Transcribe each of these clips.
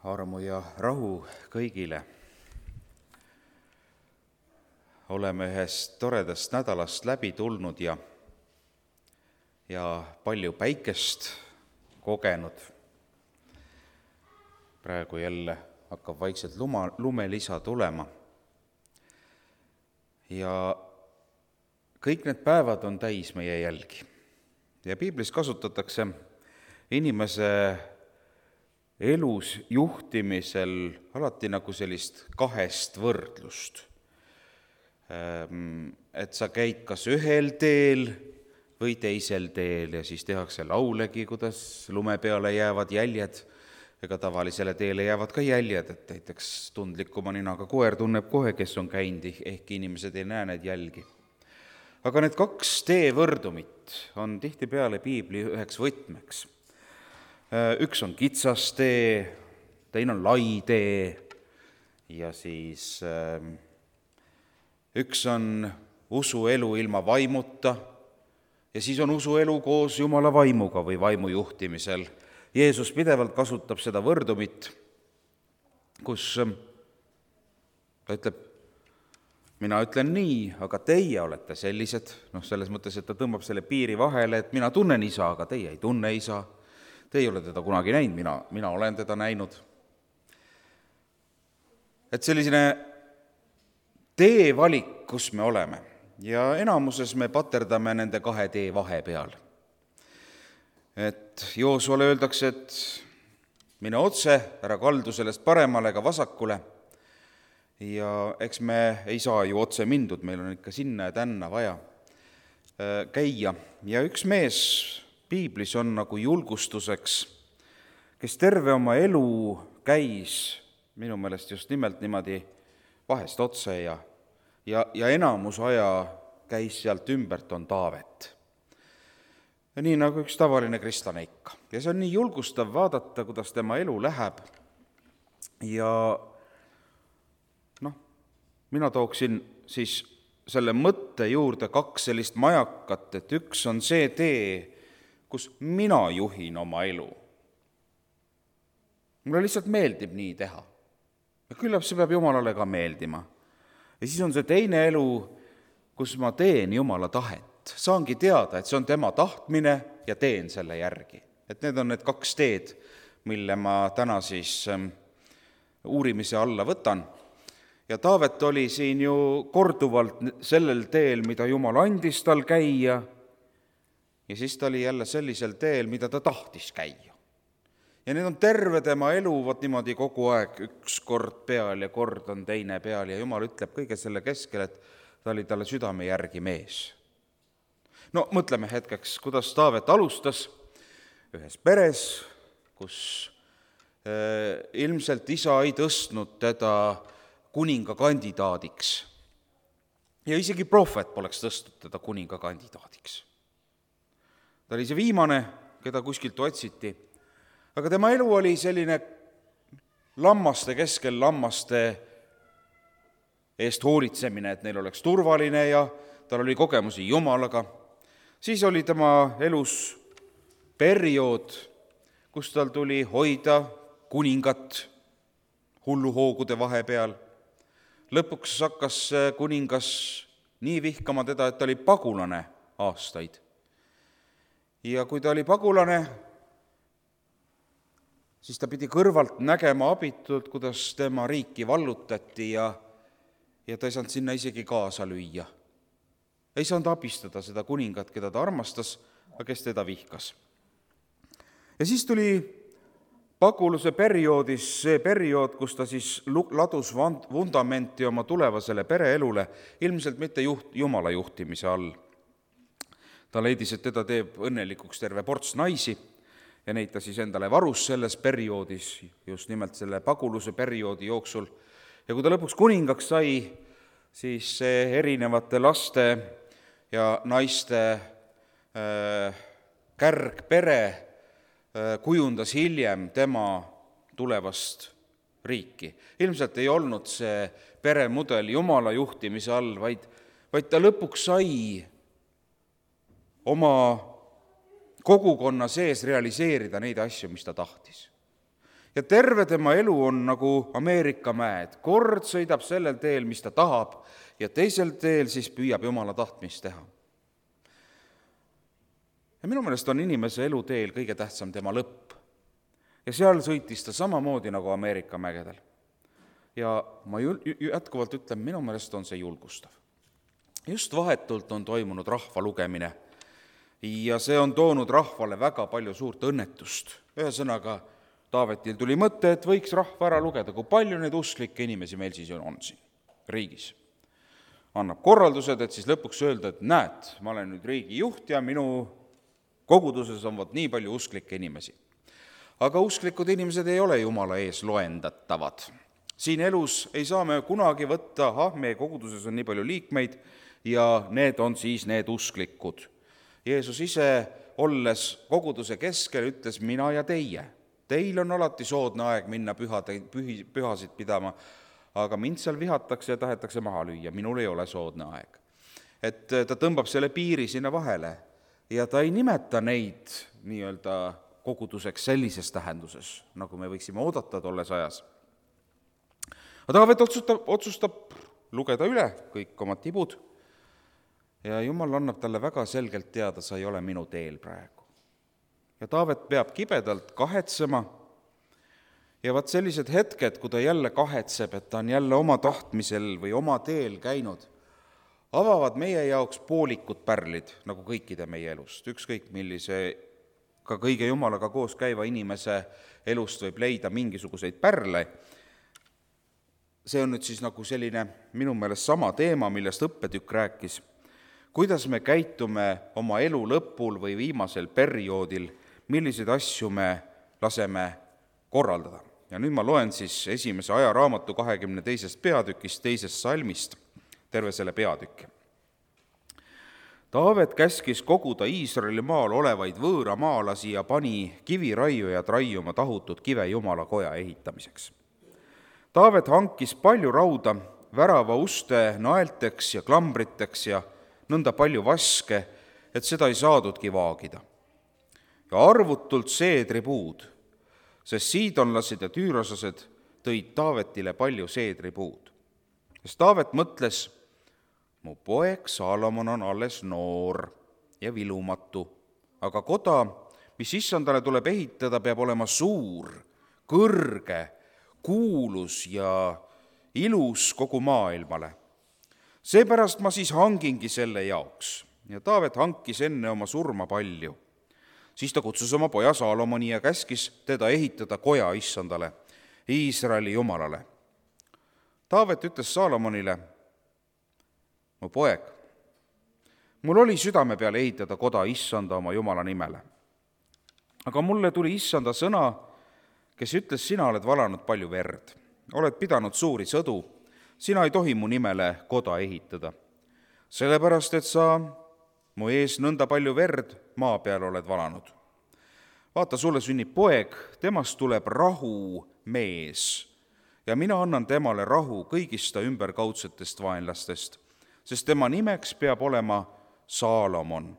armu ja rahu kõigile. Oleme ühest toredast nädalast läbi tulnud ja palju päikest kogenud. Praegu jälle hakkab vaikselt lumelisa tulema. Ja kõik need päevad on täis meie jälgi. Ja piiblis kasutatakse inimese elus juhtimisel alati nagu sellist kahest võrdlust. Et sa käid kas ühel teel või teisel teel ja siis tehakse laulegi, kuidas lume peale jäävad jäljed. Ega tavalisele teele jäävad ka jäljed, et näiteks tundlikuma ninaga koer tunneb kohe, kes on käinud, ehkki inimesed ei näe neid jälgi. Aga need kaks teevõrdumit on tihtipeale piibli üheks võtmeks. Üks on kitsas tee, teine on lai tee ja siis üks on usuelu ilma vaimuta ja siis on usuelu koos Jumala vaimuga või vaimu juhtimisel. Jeesus pidevalt kasutab seda võrdumit, kus ta ütleb, mina ütlen nii, aga teie olete sellised, selles mõttes, et ta tõmbab selle piiri vahele, et mina tunnen isa, aga teie ei tunne isa. Teie ei ole teda kunagi näinud, mina olen teda näinud. Et selline teevalik, kus me oleme, ja enamuses me paterdame nende kahe tee vahe peal. Et Joosuale öeldakse, et mine otse, ära kaldu sellest paremale ega vasakule, ja eks me ei saa ju otse mindud, meil on ikka sinna ja tänna vaja käia. Ja üks mees piiblis on nagu julgustuseks, kes terve oma elu käis minu meelest just nimelt niimoodi vahest otse ja enamus aja käis sealt ümbert, on Taavet. Ja nii nagu üks tavaline kristlane ikka. Ja see on nii julgustav vaadata, kuidas tema elu läheb. Ja mina tooksin siis selle mõtte juurde kaks sellist majakat, et üks on see tee, kus mina juhin oma elu. Mulle lihtsalt meeldib nii teha. Ja küllap see peab Jumalale ka meeldima. Ja siis on see teine elu, kus ma teen Jumala tahet. Saangi teada, et see on tema tahtmine ja teen selle järgi. Et need on need kaks teed, mille ma täna siis uurimise alla võtan. Ja Taavet oli siin ju korduvalt sellel teel, mida Jumal andis tal käia, ja siis ta oli jälle sellisel teel, mida ta tahtis käia. Ja need on terve tema elu, võt niimoodi kogu aeg, üks kord peal ja kord on teine peal, ja Jumal ütleb kõige selle keskel, et ta oli talle südame järgi mees. Mõtleme hetkeks, kuidas Taavet alustas ühes peres, kus ilmselt isa ei tõstnud teda kuninga kandidaadiks. Ja isegi prohvet poleks tõstnud teda kuninga kandidaadiks. Ta oli see viimane, keda kuskilt otsiti, aga tema elu oli selline lammaste keskel, lammaste eest hoolitsemine, et neil oleks turvaline ja tal oli kogemusi Jumalaga. Siis oli tema elus periood, kus tal tuli hoida kuningat hulluhoogude vahepeal. Lõpuks hakkas kuningas nii vihkama teda, et ta oli pagulane aastaid. Ja kui ta oli pagulane, siis ta pidi kõrvalt nägema abitult, kuidas tema riiki vallutati ja ta ei saanud sinna isegi kaasa lüüa. Ei saanud abistada seda kuningat, keda ta armastas, aga kes teda vihkas. Ja siis tuli paguluse perioodis see periood, kus ta siis ladus vundamenti oma tulevasele pereelule, ilmselt mitte Jumala juhtimise all. Ta leidis, et teda teeb õnnelikuks terve ports naisi ja neid ta siis endale varus selles perioodis, just nimelt selle paguluse perioodi jooksul. Ja kui ta lõpuks kuningaks sai, siis see erinevate laste ja naiste kärgpere kujundas hiljem tema tulevast riiki. Ilmselt ei olnud see peremudel Jumala juhtimise all, vaid ta lõpuks sai oma kogukonna sees realiseerida neid asju, mis ta tahtis. Ja terve tema elu on nagu Ameerika mäed. Kord sõidab sellel teel, mis ta tahab, ja teisel teel siis püüab Jumala tahtmist teha. Ja minu meelest on inimese eluteel kõige tähtsam tema lõpp. Ja seal sõitis ta samamoodi nagu Ameerika mägedel. Ja ma jätkuvalt ütlen, minu meelest on see julgustav. Just vahetult on toimunud rahva lugemine ja see on toonud rahvale väga palju suurt õnnetust. Ühesõnaga, Taavetil tuli mõte, et võiks rahva ära lugeda, kui palju neid usklikke inimesi meil siis on siin riigis. Annab korraldused, et siis lõpuks öelda, et näed, ma olen nüüd riigi juht ja minu koguduses on nii palju usklikke inimesi. Aga usklikud inimesed ei ole Jumala ees loendatavad. Siin elus ei saa me kunagi võtta, meie koguduses on nii palju liikmeid ja need on siis need usklikud. Jeesus ise, olles koguduse keskel, ütles mina ja teie. Teil on alati soodne aeg minna pühasid pidama, aga mind seal vihatakse ja tahetakse maha lüüa, minul ei ole soodne aeg. Et ta tõmbab selle piiri sinna vahele ja ta ei nimeta neid nii-öelda koguduseks sellises tähenduses, nagu me võiksime oodata tolles ajas. Aga Taavet otsustab lugeda üle kõik oma tibud ja Jumal annab talle väga selgelt teada, sa ei ole minu teel praegu. Ja Taavet peab kibedalt kahetsema ja vaat sellised hetked, kui ta jälle kahetseb, et ta on jälle oma tahtmisel või oma teel käinud, avavad meie jaoks poolikud pärlid, nagu kõikide meie elust. Ükskõik millise, ka kõige Jumalaga koos käiva inimese elust võib leida mingisuguseid pärle. See on nüüd siis nagu selline minu meelest sama teema, millest õppetükk rääkis. Kuidas me käitume oma elu lõpul või viimasel perioodil, milliseid asju me laseme korraldada. Ja nüüd ma loen siis esimese ajaraamatu 22. peatükist, 2. salmist, terve selle peatükki. Taavet käskis koguda Iisraeli maal olevaid võõramaalasi ja pani kiviraiujad raiuma tahutud kive Jumala koja ehitamiseks. Taavet hankis palju rauda värava uste naelteks ja klambriteks ja nõnda palju vaske, et seda ei saadudki vaagida. Ja arvutult seedripuud, sest siidonlased ja tüüroslased tõid Taavetile palju seedripuud. Sest Taavet mõtles, mu poeg Saalomon on alles noor ja vilumatu, aga koda, mis issandale tuleb ehitada, peab olema suur, kõrge, kuulus ja ilus kogu maailmale. Seepärast ma siis hangingi selle jaoks. Ja Taavet hankis enne oma surma palju. Siis ta kutsus oma poja Saalomoni ja käskis teda ehitada koja issandale, Iisraeli Jumalale. Taavet ütles Saalomonile, mu poeg, mul oli südame peale ehitada koda issanda oma Jumala nimele. Aga mulle tuli issanda sõna, kes ütles, sina oled valanud palju verd, oled pidanud suuri sõdu, sina ei tohi mu nimele koda ehitada. Sellepärast, et sa mu ees nõnda palju verd maa peal oled valanud. Vaata, sulle sünnib poeg, temast tuleb rahu mees ja mina annan temale rahu kõigist ta ümberkaudsetest vaenlastest, sest tema nimeks peab olema Saalomon.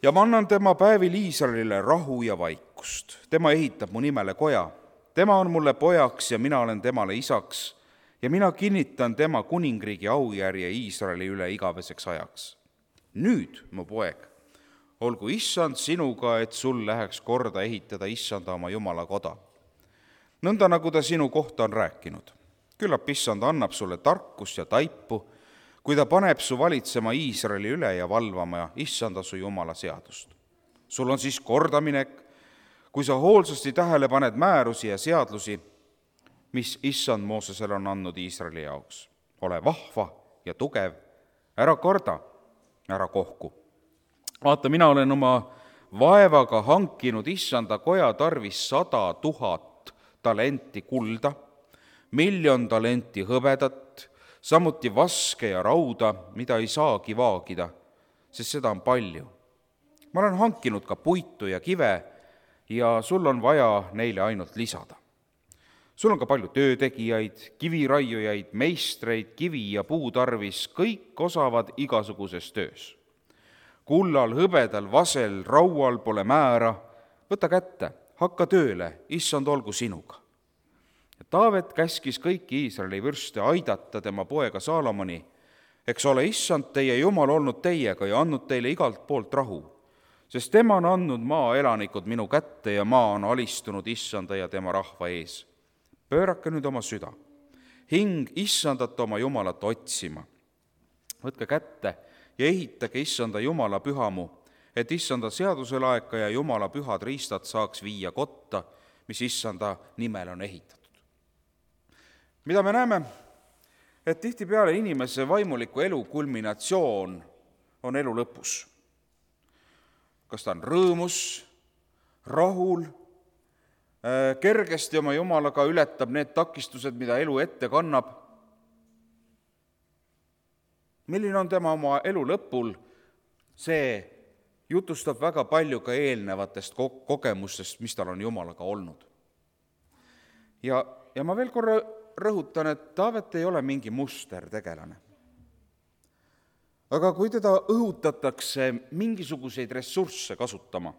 Ja ma annan tema päevil Iisraelile rahu ja vaikust. Tema ehitab mu nimele koja. Tema on mulle pojaks ja mina olen temale isaks ja mina kinnitan tema kuningriigi aujärje Iisraeli üle igaveseks ajaks. Nüüd, mu poeg, olgu issand sinuga, et sul läheks korda ehitada issanda oma Jumala koda. Nõnda nagu ta sinu kohta on rääkinud. Küllap issand annab sulle tarkust ja taipu, kui ta paneb su valitsema Iisraeli üle ja valvama issanda su Jumala seadust. Sul on siis kordaminek, kui sa hoolsasti tähele paned määrusi ja seadlusi, mis issand Moosesele on andnud Iisraeli jaoks. Ole vahva ja tugev, ära karda, ära kohku. Vaata, mina olen oma vaevaga hankinud issanda koja tarvis 100 000 talenti kulda, 1 000 000 talenti hõbedat, samuti vaske ja rauda, mida ei saagi vaagida, sest seda on palju. Ma olen hankinud ka puitu ja kive ja sul on vaja neile ainult lisada. Sul on ka palju töötegijaid, kiviraiujaid, meistreid, kivi ja puu tarvis, kõik osavad igasuguses töös. Kullal, hõbedal, vasel, raual pole määra, võta kätte, hakka tööle, issand olgu sinuga. Ja Taavet käskis kõiki Iisraeli vürste aidata tema poega Saalomoni, eks ole, issand teie Jumal olnud teiega ja andnud teile igalt poolt rahu, sest tema on andnud maa elanikud minu kätte ja maa on alistunud issanda ja tema rahva ees. Pöörake nüüd oma süda, hing issandat oma Jumalat otsima. Võtke kätte ja ehitage issanda Jumala pühamu, et issanda seaduselaeka ja Jumala pühad riistad saaks viia kotta, mis issanda nimel on ehitatud. Mida me näeme? Et tihtipeale inimese vaimuliku elu kulminatsioon on elu lõpus. Kas ta on rõõmus, rahul, kergesti oma Jumalaga ületab need takistused, mida elu ette kannab. Milline on tema oma elu lõpul, see jutustab väga palju ka eelnevatest kogemustest, mis tal on Jumalaga olnud. Ja ma veel korra rõhutan, et Taavet ei ole mingi mustertegelane. Aga kui teda õhutatakse mingisuguseid ressursse kasutama,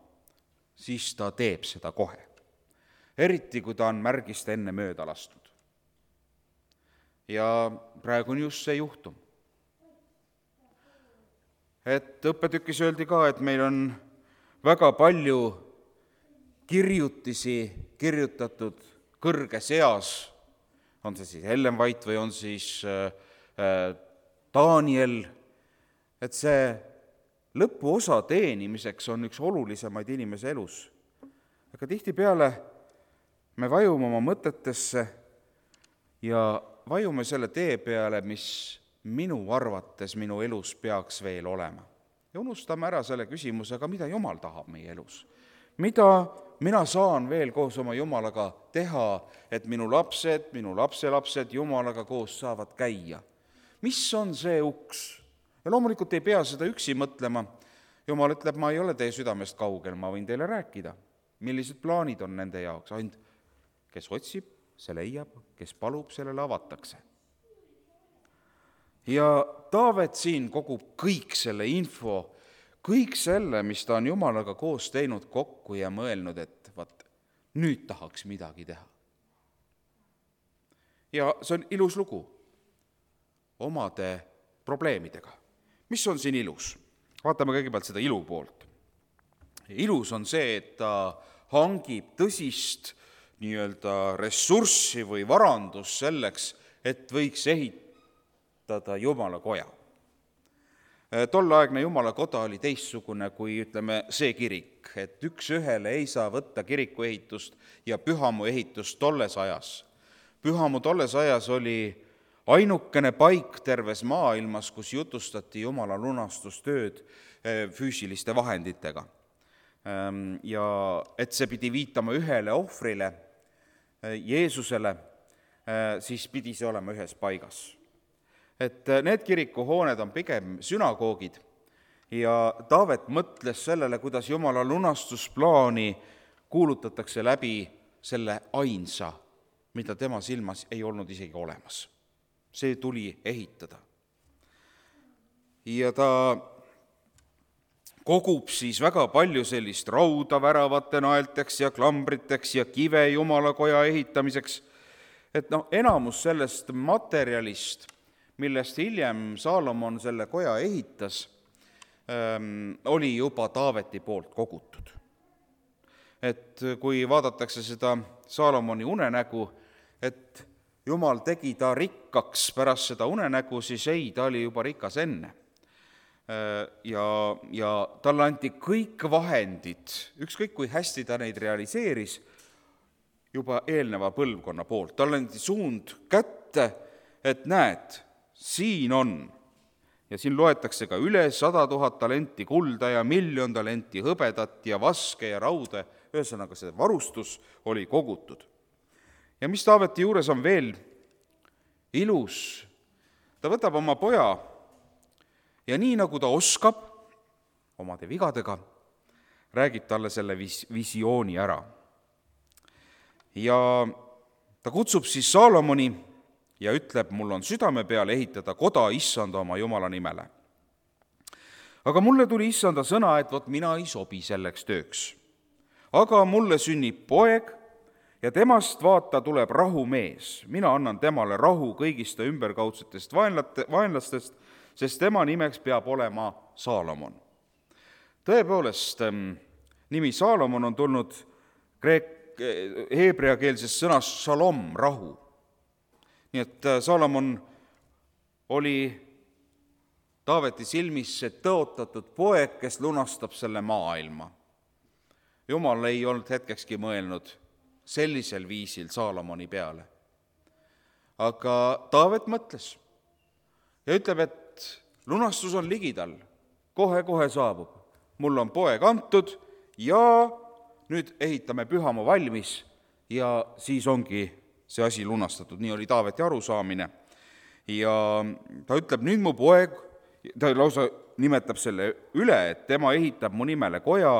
siis ta teeb seda kohe. Eriti, kui ta on märgist enne mööda lastud. Ja praegu on just see juhtum. Et õppetükis öeldi ka, et meil on väga palju kirjutisi kirjutatud kõrges eas, on see siis Ellen White või on siis Daniel, et see lõpuosa teenimiseks on üks olulisemaid inimese elus. Aga tihtipeale me vajume oma mõtetesse ja vajume selle tee peale, mis minu arvates minu elus peaks veel olema. Ja unustame ära selle küsimusega, mida Jumal tahab meie elus. Mida mina saan veel koos oma Jumalaga teha, et minu lapsed, minu lapselapsed Jumalaga koos saavad käia. Mis on see uks? Ja loomulikult ei pea seda üksi mõtlema. Jumal ütleb, ma ei ole teie südamest kaugel, ma võin teile rääkida. Millised plaanid on nende jaoks? Ainult, kes otsib, see leiab, kes palub, sellele avatakse. Ja Taavet siin kogub kõik selle info, kõik selle, mis ta on Jumalaga koos teinud kokku ja mõelnud, et nüüd tahaks midagi teha. Ja see on ilus lugu omade probleemidega. Mis on siin ilus? Vaatame kõigepealt seda ilu poolt. Ilus on see, et ta hangib tõsist ressurssi või varandus selleks, et võiks ehitada Jumala koja. Tolleaegne Jumala koda oli teistsugune kui, see kirik, et üks ühele ei saa võtta kiriku ehitust ja pühamu ehitust tolles ajas. Pühamu tolles ajas oli ainukene paik terves maailmas, kus jutustati Jumala lunastustööd füüsiliste vahenditega. Ja et see pidi viitama ühele ohvrile, Jeesusele, siis pidi see olema ühes paigas. Et need kirikuhooned on pigem sünagoogid ja Taavet mõtles sellele, kuidas Jumala lunastusplaani kuulutatakse läbi selle ainsa, mida tema silmas ei olnud isegi olemas. See tuli ehitada. Ja ta kogub siis väga palju sellist rauda väravate naelteks ja klambriteks ja kive Jumala koja ehitamiseks. Et enamus sellest materjalist, millest hiljem Saalomon selle koja ehitas, oli juba Taaveti poolt kogutud. Et kui vaadatakse seda Saalomoni unenägu, et Jumal tegi ta rikkaks pärast seda unenägu, siis ei, ta oli juba rikas enne. Ja talle anti kõik vahendid, ükskõik kui hästi ta neid realiseeris, juba eelneva põlvkonna poolt. Talle anti suund kätte, et näed, siin on. Ja siin loetakse ka üle 100 000 talenti kulda ja 1 000 000 talenti hõbedat ja vaske ja raude. Ühesõnaga, see varustus oli kogutud. Ja mis Taaveti juures on veel ilus? Ta võtab oma poja ja nii nagu ta oskab omade vigadega, räägib talle selle visiooni ära. Ja ta kutsub siis Saalomoni ja ütleb, mul on südame peal ehitada koda issanda oma Jumala nimele. Aga mulle tuli issanda sõna, et mina ei sobi selleks tööks. aga mulle sünnib poeg ja temast vaata tuleb rahumees. Mina annan temale rahu kõigist ta ümberkaudsetest vaenlastest, sest tema nimeks peab olema Saalomon. Tõepoolest, nimi Saalomon on tulnud heebreakeelsest sõnast shalom, rahu. Nii et Saalomon oli Taaveti silmis see tõotatud poeg, kes lunastab selle maailma. Jumal ei olnud hetkekski mõelnud sellisel viisil Saalomoni peale. Aga Taavet mõtles ja ütleb, et lunastus on ligidal, kohe-kohe saabub. Mul on poeg antud ja nüüd ehitame pühamaa valmis ja siis ongi see asi lunastatud. Nii oli Taaveti arusaamine. Ja ta ütleb, nüüd mu poeg, ta lausa nimetab selle üle, et tema ehitab mu nimele koja,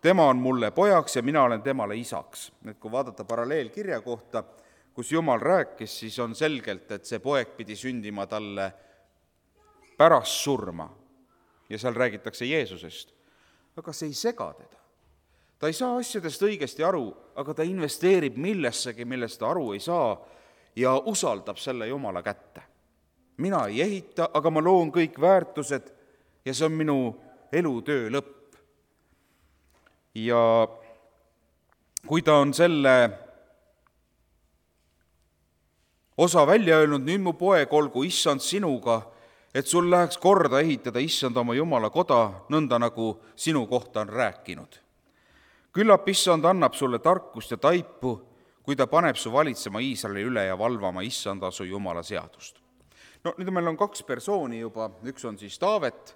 tema on mulle pojaks ja mina olen temale isaks. Et kui vaadata paralleelkirja kohta, kus Jumal rääkis, siis on selgelt, et see poeg pidi sündima talle pärast surma. Ja seal räägitakse Jeesusest. Aga see ei sega teda. Ta ei saa asjadest õigesti aru, aga ta investeerib millessegi, millest ta aru ei saa ja usaldab selle Jumala kätte. Mina ei ehita, aga ma loon kõik väärtused ja see on minu elutöö lõpp. Ja kui ta on selle osa välja öelnud, nüüd mu poeg, olgu issand sinuga, et sul läheks korda ehitada issand oma Jumala koda, nõnda nagu sinu kohta on rääkinud. Küllap issand annab sulle tarkust ja taipu, kui ta paneb su valitsema Iisraeli üle ja valvama issanda su Jumala seadust. No nüüd meil on 2 persooni juba, üks on siis Taavet,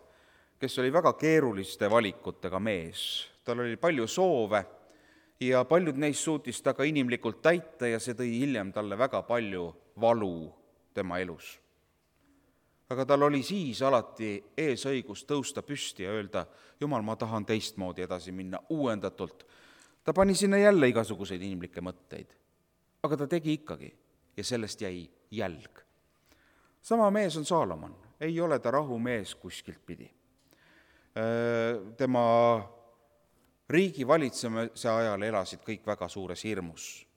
kes oli väga keeruliste valikutega mees. Tal oli palju soove ja paljud neist suutis ta ka inimlikult täita ja see tõi hiljem talle väga palju valu tema elus. Aga tal oli siis alati eesõigus tõusta püsti ja öelda, Jumal, ma tahan teistmoodi edasi minna, uuendatult. Ta pani sinna jälle igasuguseid inimlikke mõtteid, aga ta tegi ikkagi ja sellest jäi jälg. Sama mees on Saalomon, ei ole ta rahumees kuskilt pidi. Tema riigi valitsemise ajal elasid kõik väga suures hirmus.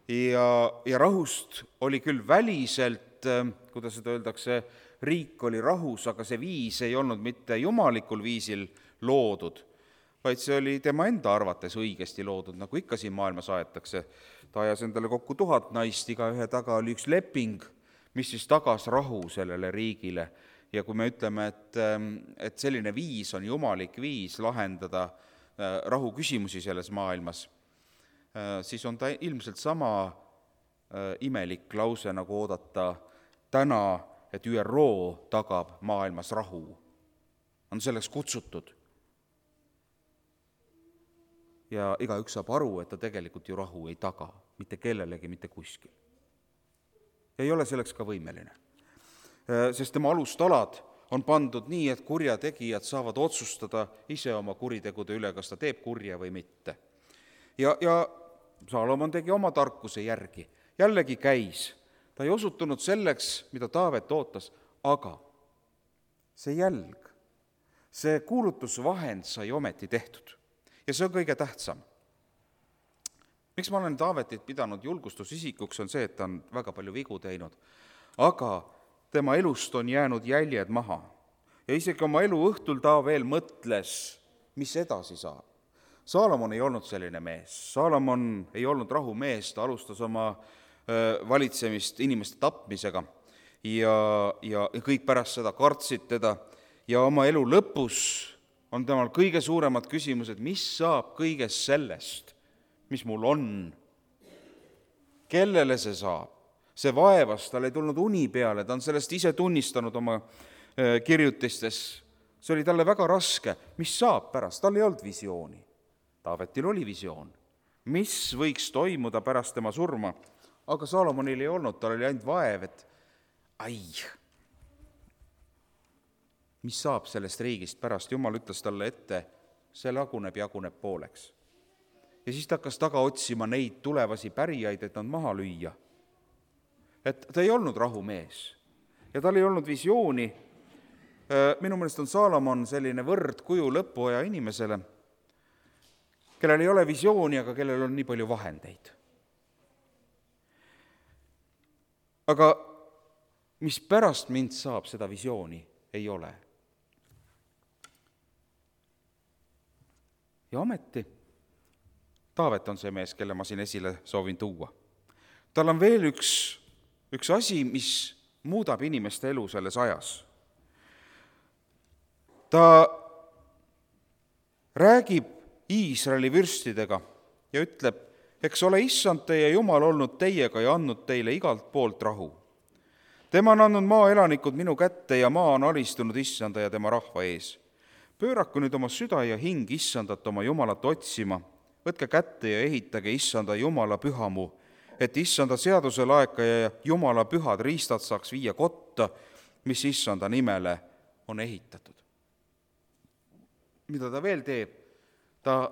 Ja rahust oli küll väliselt, kuidas seda öeldakse, riik oli rahus, aga see viis ei olnud mitte jumalikul viisil loodud, vaid see oli tema enda arvates õigesti loodud, nagu ikka siin maailmas aetakse. Ta ajas endale kokku 1000 naist, iga ühe taga oli üks leping, mis siis tagas rahu sellele riigile. Ja kui me ütleme, et selline viis on jumalik viis lahendada rahu küsimusi selles maailmas, siis on ta ilmselt sama imelik lause, nagu oodata täna, et ÜRO tagab maailmas rahu. On selleks kutsutud. Ja igaüks saab aru, et ta tegelikult ju rahu ei taga, mitte kellelegi, mitte kuskil. Ei ole selleks ka võimeline. Sest tema alustalad on pandud nii, et kurjategijad saavad otsustada ise oma kuritegude üle, kas ta teeb kurja või mitte. Ja Saalomon tegi oma tarkuse järgi. Jällegi käis. Ta ei osutunud selleks, mida Taavet ootas, aga see jälg, see kuulutusvahend sai ometi tehtud. Ja see on kõige tähtsam. Miks ma olen Taavetit pidanud julgustusisikuks, on see, et ta on väga palju vigu teinud. Aga tema elust on jäänud jäljed maha. Ja isegi oma elu õhtul ta veel mõtles, mis edasi saab. Saalomon ei olnud selline mees. Saalomon ei olnud rahumees, ta alustas oma valitsemist inimeste tapmisega ja kõik pärast seda kartsid teda. Ja oma elu lõpus on temal kõige suuremad küsimused, mis saab kõigest sellest, mis mul on. Kellele see saab? See vaevas, tal ei tulnud uni peale, ta on sellest ise tunnistanud oma kirjutistes. See oli talle väga raske. Mis saab pärast? Tal ei olnud visiooni. Taavetil oli visioon. Mis võiks toimuda pärast tema surma? Aga Saalomonil ei olnud, tal oli ainult vaev, et mis saab sellest riigist pärast? Jumal ütles talle ette, see jaguneb pooleks. Ja siis ta hakkas taga otsima neid tulevasi pärijaid, et nad maha lüüa. Et ta ei olnud rahumees ja tal ei olnud visiooni. Minu meelest on Saalomon selline võrdkuju lõpuaja inimesele. kellel ei ole visiooni, aga kellel on nii palju vahendeid. Aga mis pärast mind saab, seda visiooni ei ole. Ja ometi Taavet on see mees, kelle ma siin esile soovin tuua. Tal on veel üks asi, mis muudab inimeste elu selles ajas. Ta räägib Iisraeli vürstidega ja ütleb, eks ole issand teie Jumal olnud teiega ja andnud teile igalt poolt rahu. Tema on andnud maa elanikud minu kätte ja maa on alistunud issanda ja tema rahva ees. Pööraku nüüd oma süda ja hing issandat oma Jumalat otsima, võtke kätte ja ehitage issanda Jumala pühamu, et issanda seaduse laekaja ja Jumala pühad riistad saaks viia kotta, mis issanda nimele on ehitatud. Mida ta veel teeb? Ta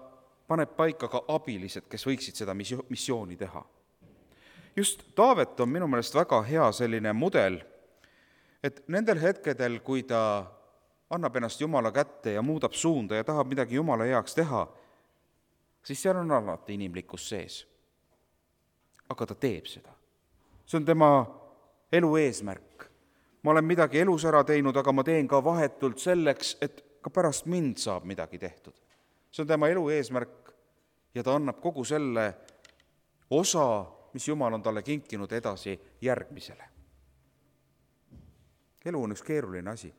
paneb paika ka abilised, kes võiksid seda missiooni teha. Just Taavet on minu meelest väga hea selline mudel, et nendel hetkedel, kui ta annab ennast Jumala kätte ja muudab suunda ja tahab midagi Jumala heaks teha, siis seal on alati inimlikkus sees. Aga ta teeb seda. See on tema elu eesmärk. Ma olen midagi elus ära teinud, aga ma teen ka vahetult selleks, et ka pärast mind saab midagi tehtud. See on tema elu eesmärk ja ta annab kogu selle osa, mis Jumal on talle kinkinud, edasi järgmisele. Elu on üks keeruline asi.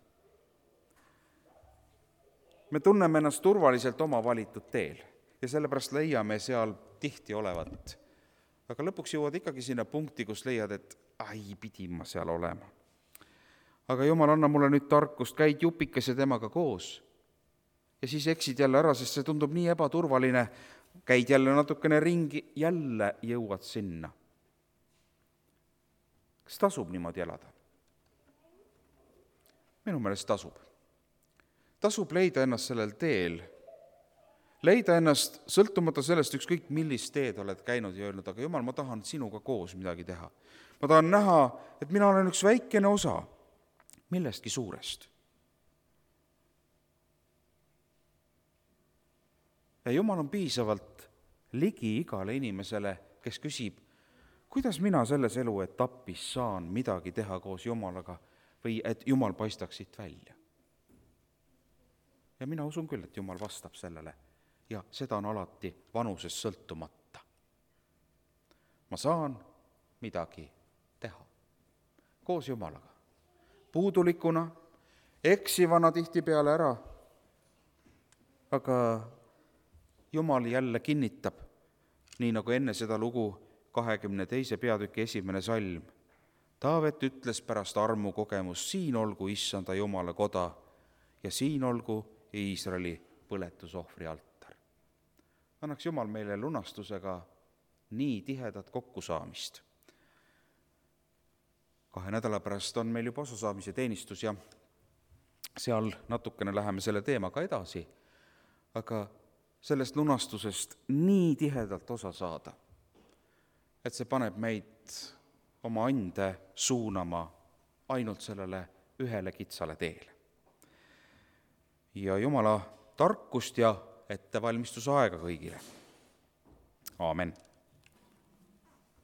Me tunneme ennast turvaliselt oma valitud teel ja sellepärast leiame seal tihti olevat. Aga lõpuks jõuad ikkagi sinna punkti, kus leiad, et pidin ma seal olema. Aga Jumal, anna mulle nüüd tarkust, käid jupikese temaga koos. Ja siis eksid jälle ära, sest see tundub nii ebaturvaline. Käid jälle natukene ringi, jälle jõuad sinna. Kas tasub niimoodi elada? Minu meelest tasub. Tasub leida ennast sellel teel. Leida ennast sõltumata sellest ükskõik millist teed oled käinud ja öelnud, aga Jumal, ma tahan sinuga koos midagi teha. Ma tahan näha, et mina olen üks väikene osa millestki suurest. Ja Jumal on piisavalt ligi igale inimesele, kes küsib, kuidas mina selles eluetapis saan midagi teha koos Jumalaga või et Jumal paistaks siit välja. Ja mina usun küll, et Jumal vastab sellele ja seda on alati vanusest sõltumata. Ma saan midagi teha koos Jumalaga. Puudulikuna, eksivana tihtipeale ära, aga Jumal jälle kinnitab, nii nagu enne seda lugu 22. peatüki 1. salm. Taavet ütles pärast armu kogemust, siin olgu issanda Jumala koda ja siin olgu Iisraeli põletusohvri altar. Annaks Jumal meile lunastusega nii tihedat kokkusaamist. 2 nädala pärast on meil juba osasaamise teenistus ja seal natukene läheme selle teemaga edasi, aga sellest lunastusest nii tihedalt osa saada, et see paneb meid oma ande suunama ainult sellele ühele kitsale teele. Ja Jumala tarkust ja ettevalmistusaega kõigile. Aamen.